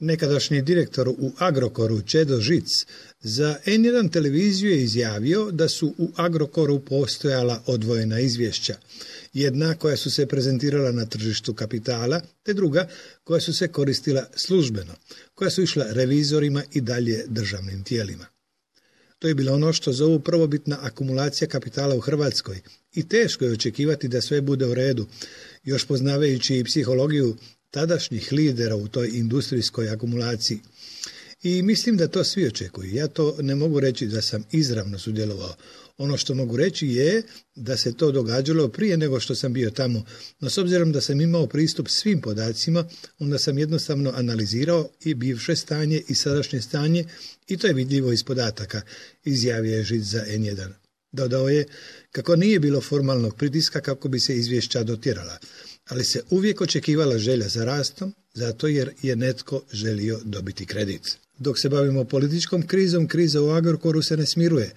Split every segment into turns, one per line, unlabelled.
Nekadašnji direktor u Agrokoru Čedo Žic za N1 televiziju je izjavio da su u Agrokoru postojala odvojena izvješća. Jedna koja su se prezentirala na tržištu kapitala, te druga koja su se koristila službeno, koja su išla revizorima i dalje državnim tijelima. To je bilo ono što zovu prvobitna akumulacija kapitala u Hrvatskoj i teško je očekivati da sve bude u redu, još poznavajući i psihologiju tadašnjih lidera u toj industrijskoj akumulaciji. I mislim da to svi očekuju. Ja to ne mogu reći da sam izravno sudjelovao. Ono što mogu reći je da se to događalo prije nego što sam bio tamo, no s obzirom da sam imao pristup svim podacima, onda sam jednostavno analizirao i bivše stanje i sadašnje stanje i to je vidljivo iz podataka, izjavio je Žic za N1. Dodao je kako nije bilo formalnog pritiska kako bi se izvješća dotjerala, ali se uvijek očekivala želja za rastom, zato jer je netko želio dobiti kredit. Dok se bavimo političkom krizom, kriza u Agrokoru se ne smiruje.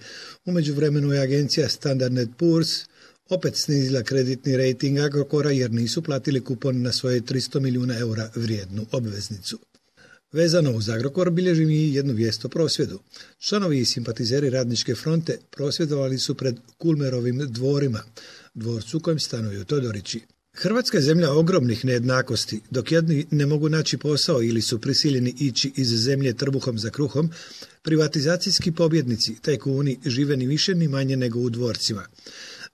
U međuvremenu je agencija Standard & Poor's opet snizila kreditni rejting Agrokora jer nisu platili kupon na svoje 300 milijuna eura vrijednu obveznicu. Vezano uz Agrokor bilježi mi jednu vijest o prosvjedu. Članovi i simpatizeri Radničke fronte prosvjedovali su pred Kulmerovim dvorima, dvorcu u kojem stanuju Todorići. Hrvatska je zemlja ogromnih nejednakosti. Dok jedni ne mogu naći posao ili su prisiljeni ići iz zemlje trbuhom za kruhom, privatizacijski pobjednici, tajkuni, žive ni više ni manje nego u dvorcima.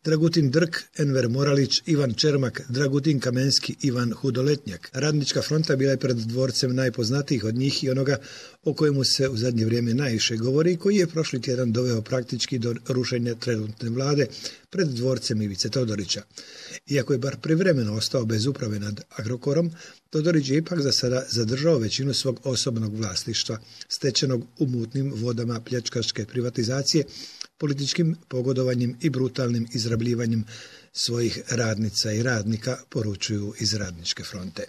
Dragutin Drk, Enver Moralić, Ivan Čermak, Dragutin Kamenski, Ivan Hudoletnjak. Radnička fronta bila je pred dvorcem najpoznatijih od njih i onoga o kojemu se u zadnje vrijeme najviše govori i koji je prošli tjedan doveo praktički do rušenja trenutne vlade pred dvorcem Ivice Todorića. Iako je bar privremeno ostao bez uprave nad Agrokorom, Todorić je ipak za sada zadržao većinu svog osobnog vlasništva, stečenog u mutnim vodama pljačkaške privatizacije, političkim pogodovanjem i brutalnim izrabljivanjem svojih radnica i radnika, poručuju iz Radničke fronte.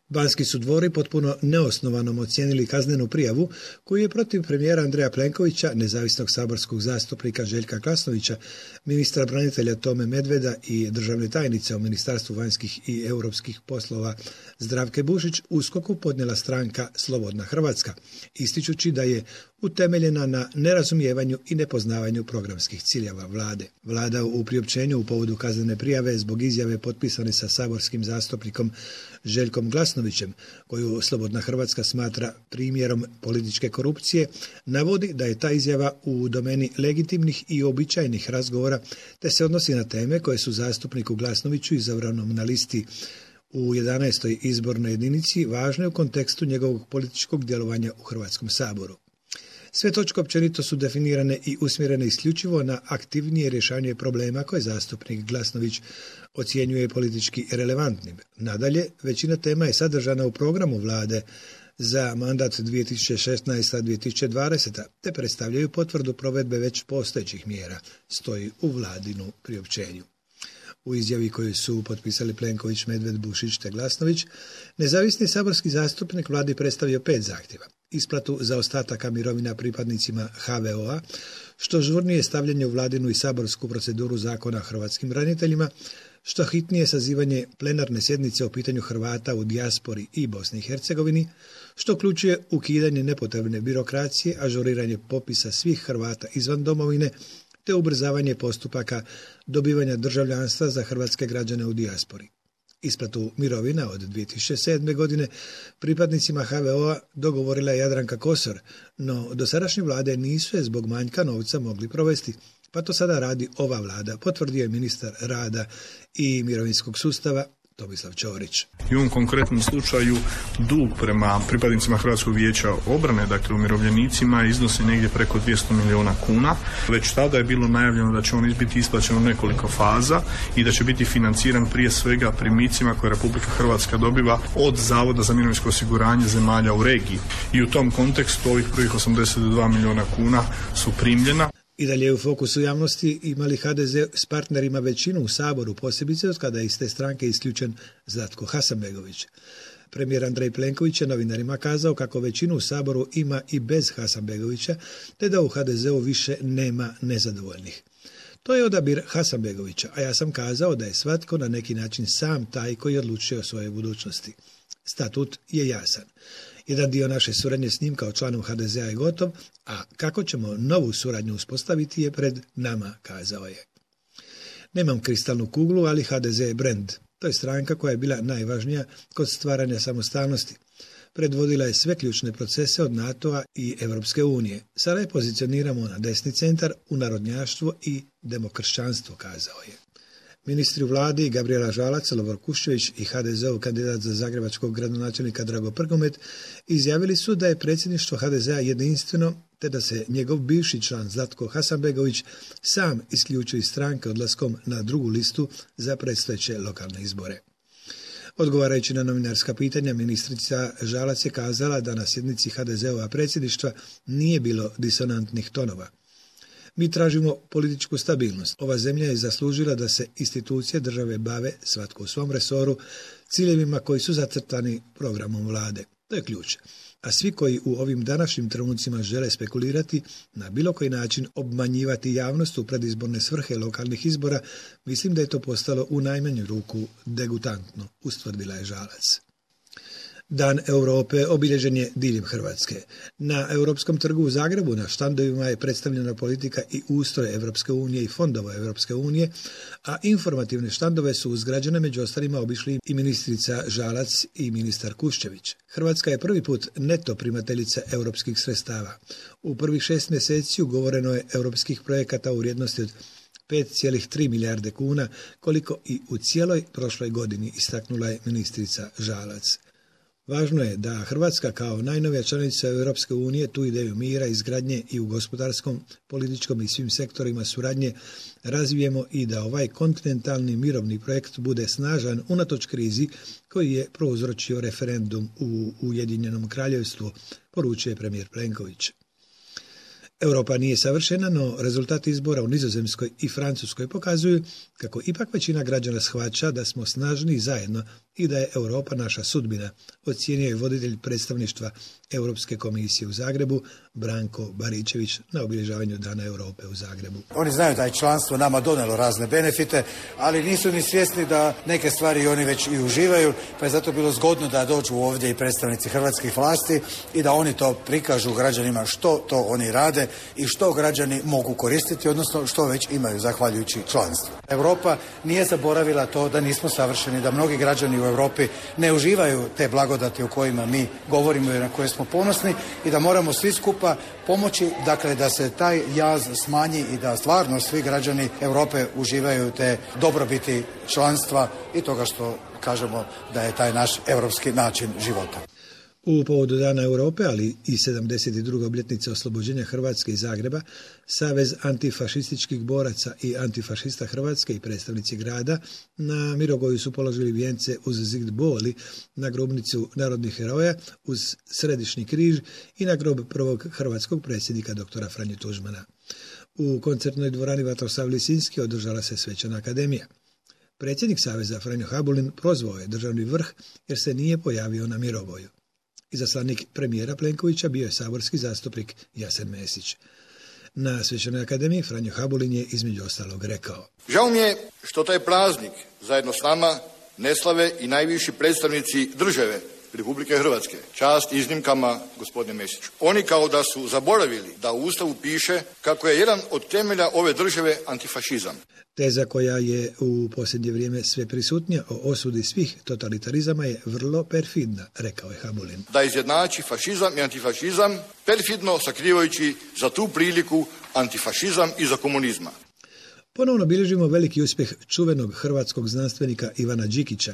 Banski su dvori potpuno neosnovanom ocijenili kaznenu prijavu koju je protiv premijera Andreja Plenkovića, nezavisnog saborskog zastupnika Željka Glasnovića, ministra branitelja Tome Medveda i državne tajnice u Ministarstvu vanjskih i europskih poslova Zdravke Bušić USKOK-u podnijela stranka Slobodna Hrvatska, ističući da je utemeljena na nerazumijevanju i nepoznavanju programskih ciljeva vlade. Vlada u priopćenju u povodu kaznene prijave zbog izjave potpisane sa saborskim zastupnikom Željkom Glasnovićem, koju Slobodna Hrvatska smatra primjerom političke korupcije, navodi da je ta izjava u domeni legitimnih i običajnih razgovora, te se odnosi na teme koje su zastupniku Glasnoviću izabranom na listi u 11. izbornoj jedinici važne u kontekstu njegovog političkog djelovanja u Hrvatskom saboru. Sve točke općenito su definirane i usmjerene isključivo na aktivnije rješavanje problema koje zastupnik Glasnović ocjenjuje politički relevantnim. Nadalje, većina tema je sadržana u programu vlade za mandat 2016-2020, te predstavljaju potvrdu provedbe već postojećih mjera, stoji u vladinu priopćenju. U izjavi koju su potpisali Plenković, Medved, Bušić te Glasnović, nezavisni saborski zastupnik vladi predstavio 5 zahtjeva. Isplatu zaostataka mirovina pripadnicima HVO-a, što žurnije stavljanje u vladinu i saborsku proceduru zakona o hrvatskim braniteljima, što hitnije sazivanje plenarne sjednice o pitanju Hrvata u dijaspori i Bosni i Hercegovini, što uključuje ukidanje nepotrebne birokracije, ažuriranje popisa svih Hrvata izvan domovine, te ubrzavanje postupaka dobivanja državljanstva za hrvatske građane u dijaspori. Isplatu mirovina od 2007. godine pripadnicima HVO-a dogovorila je Jadranka Kosor, no dosadašnje vlade nisu je zbog manjka novca mogli provesti, pa to sada radi ova vlada, potvrdio je ministar rada i mirovinskog sustava Tomislav Ćorić.
I u ovom konkretnom slučaju dug prema pripadnicima Hrvatskog vijeća obrane, dakle umirovljenicima, iznosi negdje preko 200 milijuna kuna. Već tada je bilo najavljeno da će on biti isplaćen u nekoliko faza i da će biti financiran prije svega primicima koje Republika Hrvatska dobiva od Zavoda za mirovinsko osiguranje zemalja u regiji. I u tom kontekstu ovih prvih 82 milijuna kuna su primljena.
I dalje u fokusu javnosti imali HDZ s partnerima većinu u Saboru, posebice od kada je iz te stranke isključen Zlatko Hasanbegović. Premijer Andrej Plenković je novinarima kazao kako većinu u Saboru ima i bez Hasanbegovića, te da u HDZ-u više nema nezadovoljnih. To je odabir Hasanbegovića, a ja sam kazao da je svatko na neki način sam taj koji odlučuje o svojoj budućnosti. Statut je jasan. Jedan dio naše suradnje s njim kao članom HDZ-a je gotov, a kako ćemo novu suradnju uspostaviti je pred nama, kazao je. Nemam kristalnu kuglu, ali HDZ je brend. To je stranka koja je bila najvažnija kod stvaranja samostalnosti. Predvodila je sve ključne procese od NATO-a i Europske unije. Sada je pozicioniramo na desni centar, u narodnjaštvo i demokršćanstvo, kazao je. Ministri u vladi Gabrijela Žalac, Lovro Kuščević i HDZ-ov kandidat za zagrebačkog gradonačelnika Drago Prgomet izjavili su da je predsjedništvo HDZ-a jedinstveno, te da se njegov bivši član Zlatko Hasanbegović sam isključio iz stranke odlaskom na drugu listu za predstojeće lokalne izbore. Odgovarajući na novinarska pitanja, ministrica Žalac je kazala da na sjednici HDZ-ova predsjedništva nije bilo disonantnih tonova. Mi tražimo političku stabilnost. Ova zemlja je zaslužila da se institucije države bave, svatko u svom resoru, ciljevima koji su zacrtani programom vlade. To je ključ. A svi koji u ovim današnjim trenucima žele spekulirati, na bilo koji način obmanjivati javnost u predizborne svrhe lokalnih izbora, mislim da je to postalo u najmanju ruku degutantno, ustvrdila je Žalac. Dan Europe obilježen je diljem Hrvatske. Na Europskom trgu u Zagrebu na štandovima je predstavljena politika i ustroj Europske unije i fondova Europske unije, a informativne štandove su uzgrađene, među ostalima obišli i ministrica Žalac i ministar Kuščević. Hrvatska je prvi put neto primateljica europskih sredstava. U prvih 6 mjeseci ugovoreno je europskih projekata u vrijednosti od 5,3 milijarde kuna, koliko i u cijeloj prošloj godini, istaknula je ministrica Žalac. Važno je da Hrvatska kao najnovija članica Europske unije tu ideju mira, izgradnje i u gospodarskom, političkom i svim sektorima suradnje razvijemo i da ovaj kontinentalni mirovni projekt bude snažan unatoč krizi koji je prouzročio referendum u Ujedinjenom Kraljevstvu, poručuje premijer Plenković. Europa nije savršena, no rezultati izbora u Nizozemskoj i Francuskoj pokazuju kako ipak većina građana shvaća da smo snažni zajedno i da je Europa naša sudbina, ocijenio je voditelj predstavništva Europske komisije u Zagrebu, Branko Baričević, na obilježavanju Dana Europe u Zagrebu.
Oni znaju da je članstvo nama donijelo razne benefite, ali nisu ni svjesni da neke stvari oni već i uživaju, pa je zato bilo zgodno da dođu ovdje i predstavnici hrvatskih vlasti i da oni to prikažu građanima što to oni rade i što građani mogu koristiti, odnosno što već imaju zahvaljujući članstvu. Europa nije zaboravila to da nismo savršeni, da mnogi građani u Europi ne uživaju te blagodati o kojima mi govorimo i na koje smo ponosni i da moramo svi skupa pomoći, dakle, da se taj jaz smanji i da stvarno svi građani Europe uživaju te dobrobiti članstva i toga što kažemo da je taj naš europski način života.
U povodu Dana Europe, ali i 72. obljetnice oslobođenja Hrvatske i Zagreba, Savez antifašističkih boraca i antifašista Hrvatske i predstavnici grada na Mirogoju su položili vijence uz zid boli na grobnicu narodnih heroja, uz središnji križ i na grob prvog hrvatskog predsjednika doktora Franje Tuđmana. U koncertnoj dvorani Vatroslav Lisinski održala se svečana akademija. Predsjednik Saveza Franjo Habulin prozvao je državni vrh jer se nije pojavio na Mirogoju. Izaslanik premijera Plenkovića bio je saborski zastupnik Jasen Mesić. Na svečanoj akademiji Franjo Habulin je između ostalog rekao:
Žao mi je što taj praznik zajedno s nama ne slave i najviši predstavnici države Republike Hrvatske. Čast iznimkama, gospodine Mesiću. Oni kao da su zaboravili da u Ustavu piše kako je jedan od temelja ove države antifašizam.
Teza koja je u posljednje vrijeme sve prisutnija o osudi svih totalitarizama je vrlo perfidna, rekao je Habulin.
Da izjednači fašizam i antifašizam, perfidno sakrivajući za tu priliku antifašizam iza komunizma.
Ponovno bilježimo veliki uspjeh čuvenog hrvatskog znanstvenika Ivana Đikića.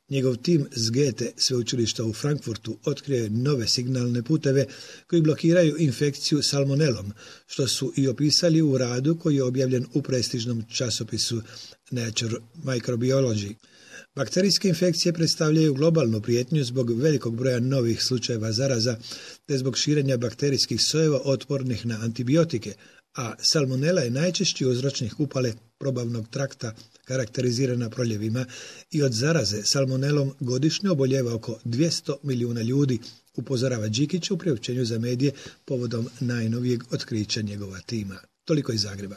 Njegov tim s Goethe sveučilišta u Frankfurtu otkrio je nove signalne puteve koji blokiraju infekciju salmonelom, što su i opisali u radu koji je objavljen u prestižnom časopisu Nature Microbiology. Bakterijske infekcije predstavljaju globalnu prijetnju zbog velikog broja novih slučajeva zaraza te zbog širenja bakterijskih sojeva otpornih na antibiotike, a salmonela je najčešći uzročnik upale probavnog trakta karakterizirana proljevima i od zaraze salmonelom godišnje oboljeva oko 200 milijuna ljudi, upozorava Đikić u priopćenju za medije povodom najnovijeg otkrića njegova tima. Toliko iz Zagreba.